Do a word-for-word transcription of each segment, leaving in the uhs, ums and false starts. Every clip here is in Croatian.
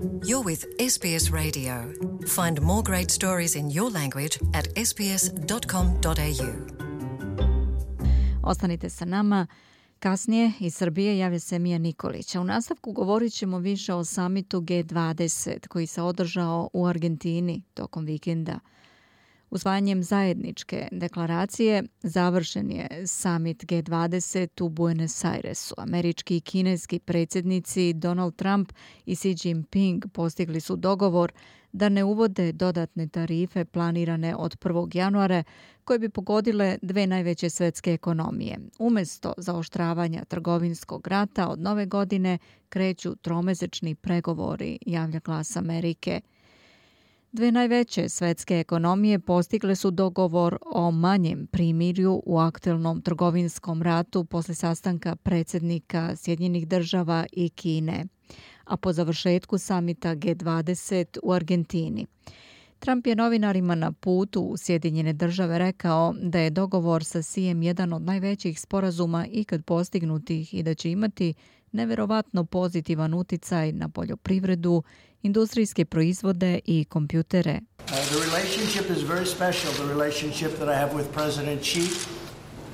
You're with S B S Radio. Find more great stories in your language at s b s dot com dot a u. Ostanite sa nama. Kasnije iz Srbije javlja se Mija Nikolić. U nastavku govorit ćemo više o samitu G dvadeset koji se održao u Argentini tokom vikenda. Usvajanjem zajedničke deklaracije završen je samit G dvadeset u Buenos Airesu. Američki i kineski predsjednici Donald Trump i Xi Jinping postigli su dogovor da ne uvode dodatne tarife planirane od prvog januara koje bi pogodile dve najveće svjetske ekonomije. Umjesto zaoštravanja trgovinskog rata od nove godine kreću tromesečni pregovori, javlja Glas Amerike. Dve najveće svjetske ekonomije postigle su dogovor o manjem primirju u aktualnom trgovinskom ratu posle sastanka predsjednika Sjedinjenih država i Kine, a po završetku samita G dvadeset u Argentini. Trump je novinarima na putu u Sjedinjene države rekao da je dogovor sa Xijem jedan od najvećih sporazuma ikad postignutih i da će imati neverovatno pozitivan uticaj na poljoprivredu, industrijske proizvode i kompjutere. Uh, the relationship is very special, the relationship that I have with President Xi.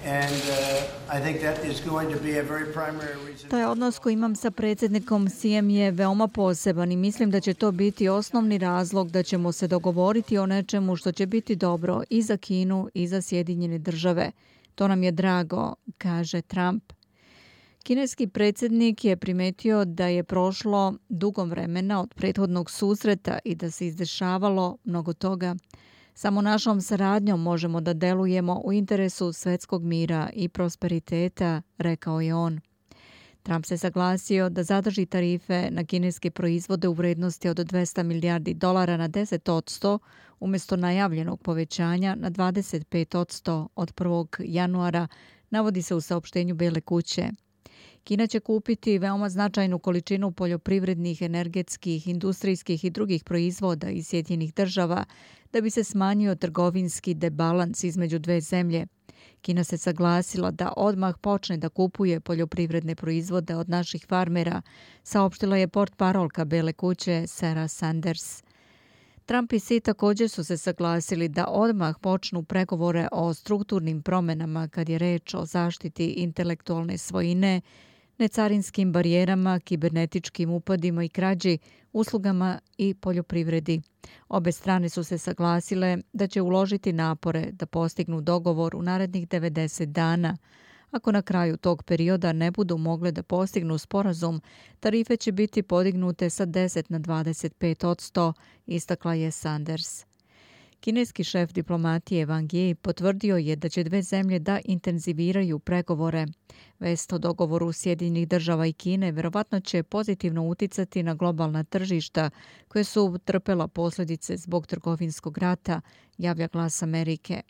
And uh, I think that is going to be a very primary reason. Taj odnos koji imam sa predsjednikom Xijem je veoma poseban i mislim da će to biti osnovni razlog da ćemo se dogovoriti o nečemu što će biti dobro i za Kinu i za Sjedinjene države. To nam je drago, kaže Trump. Kineski predsjednik je primetio da je prošlo dugo vremena od prethodnog susreta i da se izdešavalo mnogo toga. Samo našom saradnjom možemo da delujemo u interesu svjetskog mira i prosperiteta, rekao je on. Trump se saglasio da zadrži tarife na kineske proizvode u vrednosti od dvesta milijardi dolara na deset posto umjesto najavljenog povećanja na dvadeset pet posto od prvog januara, navodi se u saopštenju Bele kuće. Kina će kupiti veoma značajnu količinu poljoprivrednih, energetskih, industrijskih i drugih proizvoda iz Sjedinjenih država da bi se smanjio trgovinski debalans između dve zemlje. Kina se saglasila da odmah počne da kupuje poljoprivredne proizvode od naših farmera, saopštila je portparolka Bele kuće Sarah Sanders. Trump i Xi također su se saglasili da odmah počnu pregovore o strukturnim promjenama kad je reč o zaštiti intelektualne svojine, necarinskim barijerama, kibernetičkim upadima i krađi, uslugama i poljoprivredi. Obe strane su se saglasile da će uložiti napore da postignu dogovor u narednih devedeset dana. Ako na kraju tog perioda ne budu mogle da postignu sporazum, tarife će biti podignute sa deset na dvadeset pet posto, istakla je Sanders. Kineski šef diplomatije Wang Yi potvrdio je da će dve zemlje da intenziviraju pregovore. Vest o dogovoru Sjedinjenih država i Kine verovatno će pozitivno uticati na globalna tržišta koje su trpela posljedice zbog trgovinskog rata, javlja Glas Amerike.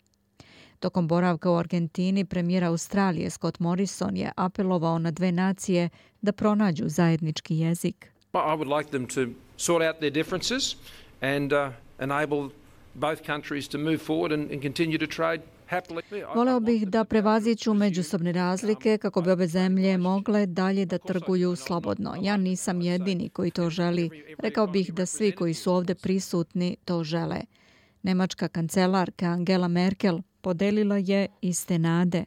Tokom boravka u Argentini premijer Australije Scott Morrison je apelovao na dve nacije da pronađu zajednički jezik. I would like them to sort out their differences and uh, enable both countries to move forward and, and continue to trade happily. Voleo bih da prevaziđu međusobne razlike kako bi obe zemlje mogle dalje da trguju slobodno. Ja nisam jedini koji to želi. Rekao bih da svi koji su ovdje prisutni to žele. Nemačka kancelarka Angela Merkel podelila je iste nade.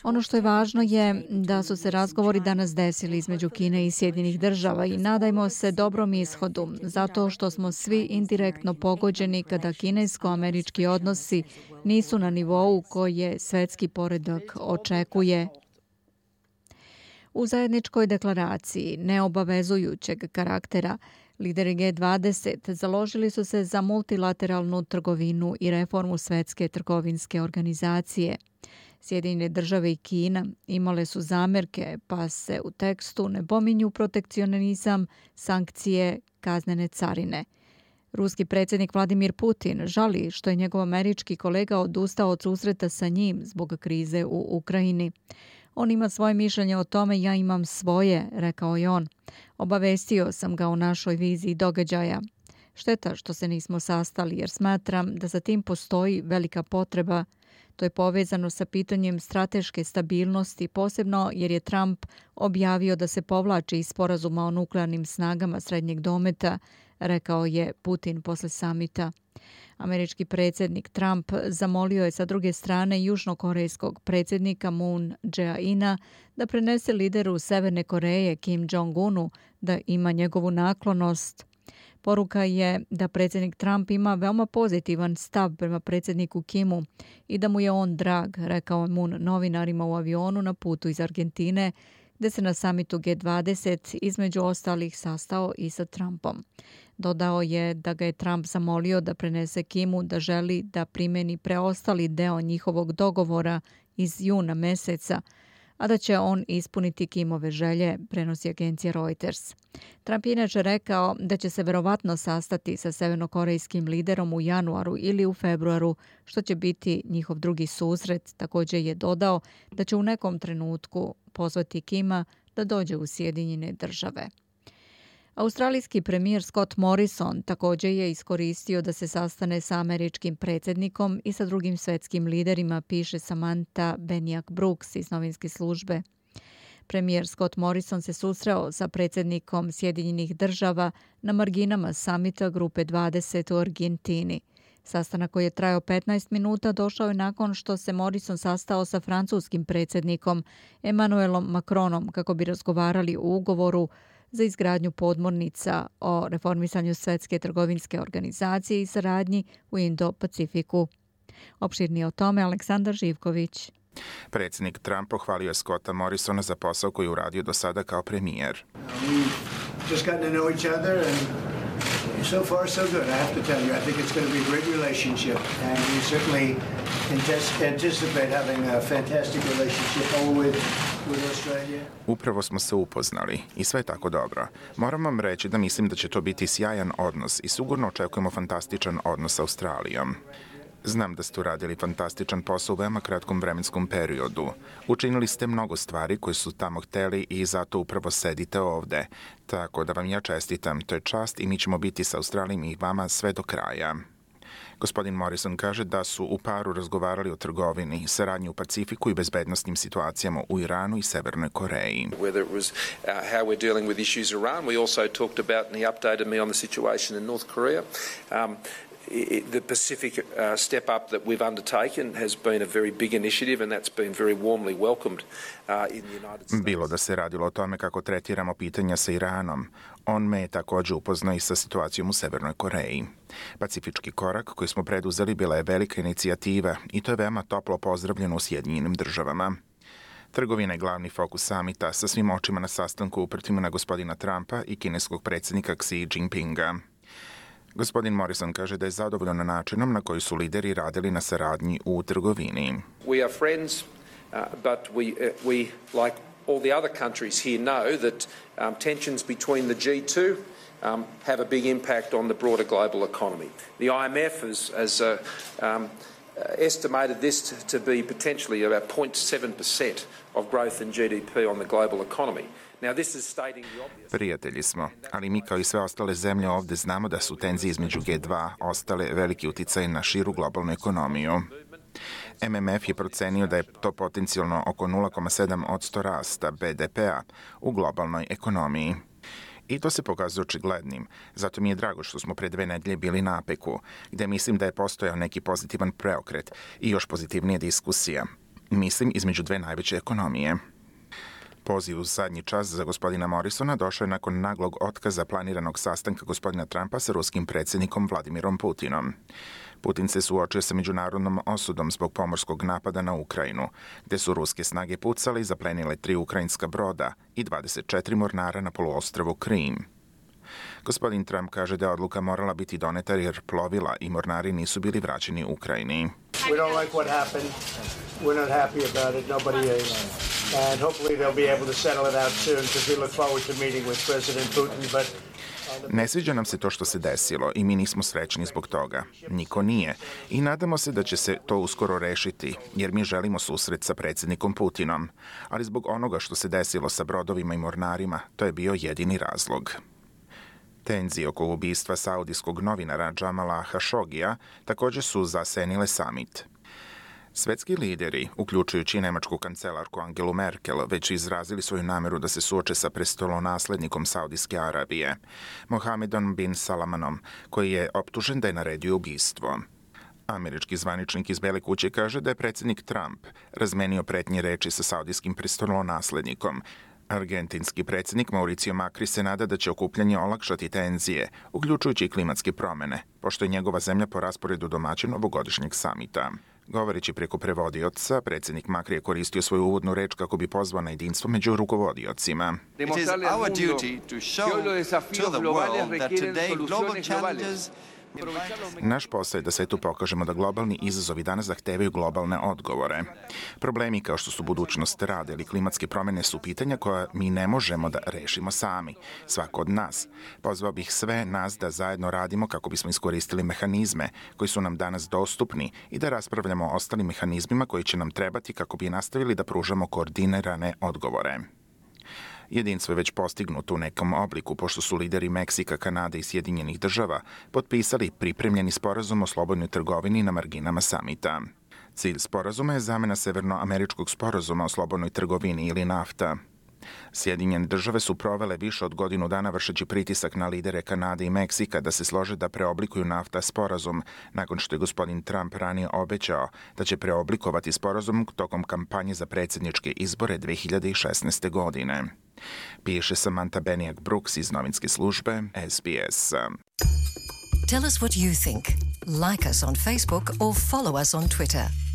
Ono što je važno je da su se razgovori danas desili između Kine i Sjedinjenih država i nadajmo se dobrom ishodu, zato što smo svi indirektno pogođeni kada kinesko-američki odnosi nisu na nivou koje svjetski poredak očekuje. U zajedničkoj deklaraciji neobavezujućeg karaktera lideri G dvadeset založili su se za multilateralnu trgovinu i reformu Svjetske trgovinske organizacije. Sjedinjene države i Kina imale su zamerke, pa se u tekstu ne pominju protekcionizam, sankcije, kaznene carine. Ruski predsjednik Vladimir Putin žali što je njegov američki kolega odustao od susreta sa njim zbog krize u Ukrajini. On ima svoje mišljenje o tome, ja imam svoje, rekao je on. Obavestio sam ga o našoj viziji događaja. Šteta što se nismo sastali jer smatram da za tim postoji velika potreba. To je povezano sa pitanjem strateške stabilnosti, posebno jer je Trump objavio da se povlači iz sporazuma o nuklearnim snagama srednjeg dometa, rekao je Putin posle samita. Američki predsjednik Trump zamolio je sa druge strane južnokorejskog predsjednika Moon Jae-ina da prenese lideru Severne Koreje Kim Jong-unu da ima njegovu naklonost. Poruka je da predsjednik Trump ima veoma pozitivan stav prema predsjedniku Kimu i da mu je on drag, rekao je Moon novinarima u avionu na putu iz Argentine, gde se na samitu G dvadeset između ostalih sastao i sa Trumpom. Dodao je da ga je Trump zamolio da prenese Kimu da želi da primeni preostali deo njihovog dogovora iz juna meseca, a da će on ispuniti Kimove želje, prenosi agencija Reuters. Trump je inače rekao da će se verovatno sastati sa severnokorejskim liderom u januaru ili u februaru, što će biti njihov drugi susret. Također je dodao da će u nekom trenutku pozvati Kima da dođe u Sjedinjene države. Australijski premijer Scott Morrison također je iskoristio da se sastane sa američkim predsjednikom i sa drugim svetskim liderima, piše Samantha Benjak Brooks iz novinske službe. Premijer Scott Morrison se susreo sa predsjednikom Sjedinjenih država na marginama samita Grupe dvadeset u Argentini. Sastanak koji je trajao petnaest minuta došao je nakon što se Morrison sastao sa francuskim predsjednikom Emmanuelom Macronom kako bi razgovarali o ugovoru za izgradnju podmornica, o reformisanju Svjetske trgovinske organizacije i saradnji u Indo-Pacifiku. Opširnije o tome Aleksandar Živković. Predsjednik Trump pohvalio je Scotta Morrisona za posao koji je uradio do sada kao premijer. Just gotten to know each other and so far so good. I have to tell you, I think it's going to be a great relationship and we certainly anticipate having a fantastic relationship all with Upravo smo se upoznali i sve je tako dobro. Moram vam reći da mislim da će to biti sjajan odnos i sigurno očekujemo fantastičan odnos sa Australijom. Znam da ste uradili fantastičan posao u veoma kratkom vremenskom periodu. Učinili ste mnogo stvari koje su tamo hteli i zato upravo sedite ovde. Tako da vam ja čestitam, to je čast i mi ćemo biti sa Australijom i vama sve do kraja. Gospodin Morrison kaže da su u paru razgovarali o trgovini, saradnji u Pacifiku i bezbednosnim situacijama u Iranu i Severnoj Koreji. Whether it was uh, how we're dealing with issues in Iran, we also talked about and he updated me on the situation in North Korea. Um, The Pacific uh, step up that we've undertaken has been a very big initiative and that's been very warmly welcomed uh, in the United States. Bilo da se radilo o tome kako tretiramo pitanja sa Iranom. On me je također upoznao i sa situacijom u Severnoj Koreji. Pacifički korak koji smo preduzeli bila je velika inicijativa i to je veoma toplo pozdravljeno u Sjedinjenim državama. Trgovina je glavni fokus samita sa svim očima na sastanku uprtima na gospodina Trumpa i kineskog predsjednika Xi Jinpinga. Gospodin Morrison kaže da je zadovoljan načinom na koji su lideri radili na saradnji u trgovini. We are friends, uh, but we, uh, we, like all the other countries here, know that um, tensions between the G two um, have a big impact on the broader global economy. The I M F has, has uh, um, estimated this to be potentially about zero point seven percent of growth in G D P on the global economy. Now, this is stating the obvious. Prijatelji smo, ali mi kao i sve ostale zemlje ovdje znamo da su tenzije između G dva ostale veliki uticaj na širu globalnu ekonomiju. M M F je procenio da je to potencijalno oko nula zarez sedam posto rasta B D P-a u globalnoj ekonomiji. I to se pokazuje očiglednim. Zato mi je drago što smo pre dve nedelje bili na APEC-u, gde mislim da je postojao neki pozitivan preokret i još pozitivnija diskusija. Mislim između dve najveće ekonomije. Poziv u zadnji čas za gospodina Morrisona došao je nakon naglog otkaza planiranog sastanka gospodina Trumpa sa ruskim predsjednikom Vladimirom Putinom. Putin se suočio sa međunarodnom osudom zbog pomorskog napada na Ukrajinu, gde su ruske snage pucale i zaplenile tri ukrajinska broda i dvadeset četiri mornara na poluostrvu Krim. Gospodin Trump kaže da je odluka morala biti doneta jer plovila i mornari nisu bili vraćeni Ukrajini. We don't like what happened. We're not happy about it. Nobody is. And hopefully they'll be able to settle it out soon because we look forward to meeting with President Putin. But ne sviđa nam se to što se desilo i mi nismo srećni zbog toga. Niko nije. I nadamo se da će se to uskoro rešiti, jer mi želimo susret sa predsjednikom Putinom. Ali zbog onoga što se desilo sa brodovima i mornarima, to je bio jedini razlog. Tenzije oko ubistva saudijskog novinara Jamala Khashogija također su zasenile samit. Svetski lideri, uključujući nemačku kancelarku Angelu Merkel, već izrazili svoju nameru da se suoče sa prestolonaslednikom Saudijske Arabije, Mohamedom bin Salmanom, koji je optužen da je naredio ubistvo. Američki zvaničnik iz Bele kuće kaže da je predsjednik Trump razmenio pretnje reči sa saudijskim prestolonaslednikom. Argentinski predsjednik Mauricio Macri se nada da će okupljanje olakšati tenzije, uključujući i klimatske promjene, pošto je njegova zemlja po rasporedu domaćin ovogodišnjeg samita. Govoreći preko prevodioca, predsjednik Macri je koristio svoju uvodnu reč kako bi pozvao na jedinstvo među rukovodiocima. It is our duty to show to the world that today global challenges. Naš posao je da svetu pokažemo da globalni izazovi danas zahtevaju globalne odgovore. Problemi kao što su budućnost rada ili klimatske promjene su pitanja koja mi ne možemo da rešimo sami, svako od nas. Pozvao bih sve nas da zajedno radimo kako bismo iskoristili mehanizme koji su nam danas dostupni i da raspravljamo o ostalim mehanizmima koji će nam trebati kako bi nastavili da pružamo koordinirane odgovore. Jedinstvo je već postignuto u nekom obliku, pošto su lideri Meksika, Kanade i Sjedinjenih država potpisali pripremljeni sporazum o slobodnoj trgovini na marginama samita. Cilj sporazuma je zamena severnoameričkog sporazuma o slobodnoj trgovini ili NAFTA. Sjedinjene države su provele više od godinu dana vršeći pritisak na lidere Kanade i Meksika da se slože da preoblikuju NAFTA sporazum, nakon što je gospodin Trump ranije obećao da će preoblikovati sporazum tokom kampanje za predsjedničke izbore dve hiljade šesnaeste. godine. Piše Samantha Beniak Brooks iz novinske službe S B S. Tell us what you think. Like us on Facebook or follow us on Twitter.